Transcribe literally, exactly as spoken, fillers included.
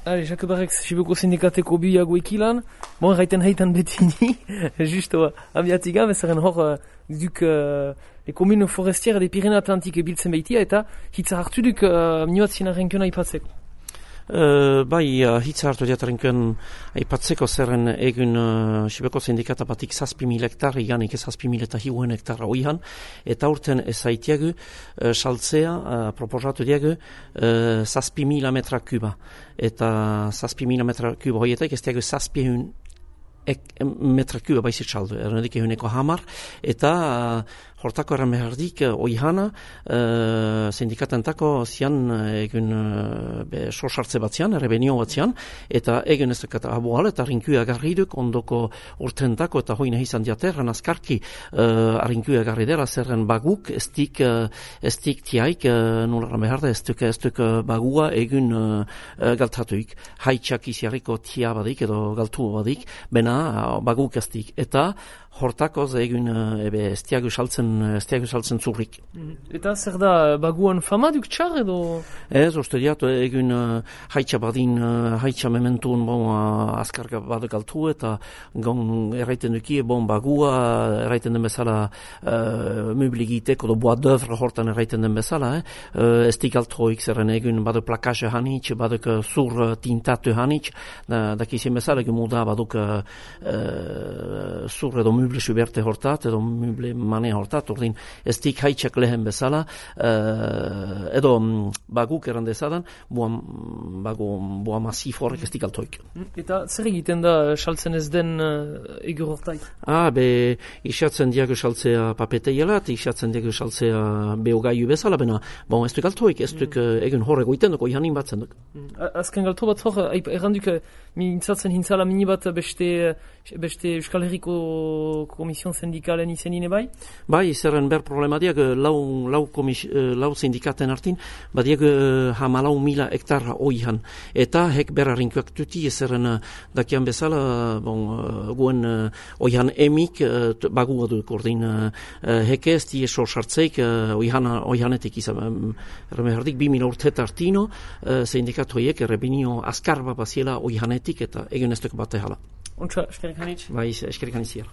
Allez, Jacques Barrex, Sibeko sindikateko biago ekilan. Bon, erraiten heitan betini, justo abiatiga, bezaren hor duk uh, les communes forestières des Pyrénées-Atlantiques biltzen beitia, eta hitza hartu duk uh, minuatzien arrenkena ipatzeko. Uh, bai, uh, hitza hartu diatarenken aipatzeko zerren egun uh, Sibeko sindikata batik zazpi mil hektar, iganik zazpi mil eta hiuen hektarra oihan, eta urten ezaitiagu uh, saltzea, uh, proposatu diagu, uh, zazpi mila metra kuba. Eta zazpi mila metra kuba hoietek, ez diagu zazpi egun ek, metra kuba baizit saldu, ernedik eguneko hamar, eta uh, hortako erran behardik, uh, oihana, uh, sindikatentako zian egun uh, sosartze batzian, errebenio batzian, eta egun ez dakata abual, eta rinkuia garriduk, ondoko urtentako, eta hoina izan diaterran azkarki uh, rinkuia garridera, zerren baguk, ez dik, uh, ez dik tiaik, uh, nulara beharda, ez duk, ez duk uh, bagua egun uh, uh, galtatuik, haitxak iziarriko tia badik, edo galtu badik, bena uh, baguk ez dik, eta hortakoz egun uh, ebe estiagu saltzen, estiagu saltzen zurrik. Eta zer da, baguan fama duk txar edo? Ez, uste diatu egun uh, haitxa badin, uh, haitxa mementun bon, uh, azkarga baduk altu eta gon erraiten duki, bon bagua erraiten den bezala uh, mubligiteko do boa d'oeuvre hortan erraiten den bezala, eh? uh, ez dik altroik zerren egun baduk plakaje hanitx, baduk uh, zur uh, tintatu hanitx, da, dakizien bezala egun muda baduk uh, uh, zur edo muble suberte hortat, edo muble mane hortat, ordin ez dik haitxak lehen bezala, uh, edo um, baguk erandezadan, boa, bago, boa masif horrek ez dik altoik. Eta zer egiten da saltzen ez den uh, egur hortaik? Ah, be, isatzen diago saltzea papeteialat, isatzen diago saltzea beogaiu bezala, bena, bon, ez duk altoik, ez duk mm. uh, egun horrego iten duk, oihanin batzen duk. Mm. Azken galto bat hor, erranduk, mintzatzen hintzala mini bat beste, beste Euskal Herriko Komision Sindikalen izenine bai? Bai, zerren ber problematiak lau, lau, komis, lau sindikaten artin, badiak hamalau mila hektarra oihan. Eta hek berra rinkuak tuti, zerren dakian bezala, bon, guen oihan emik bagua duk ordin. Heke ez die sorsartzeik oihanetik izan. Erremehardik bi mila urtet artino, sindikatoiek errebinio azkarba baziela oihanetik eta egun ez duk bate hala. Untsa, eskerik hanitz? Bai, eskerik hanitz hier.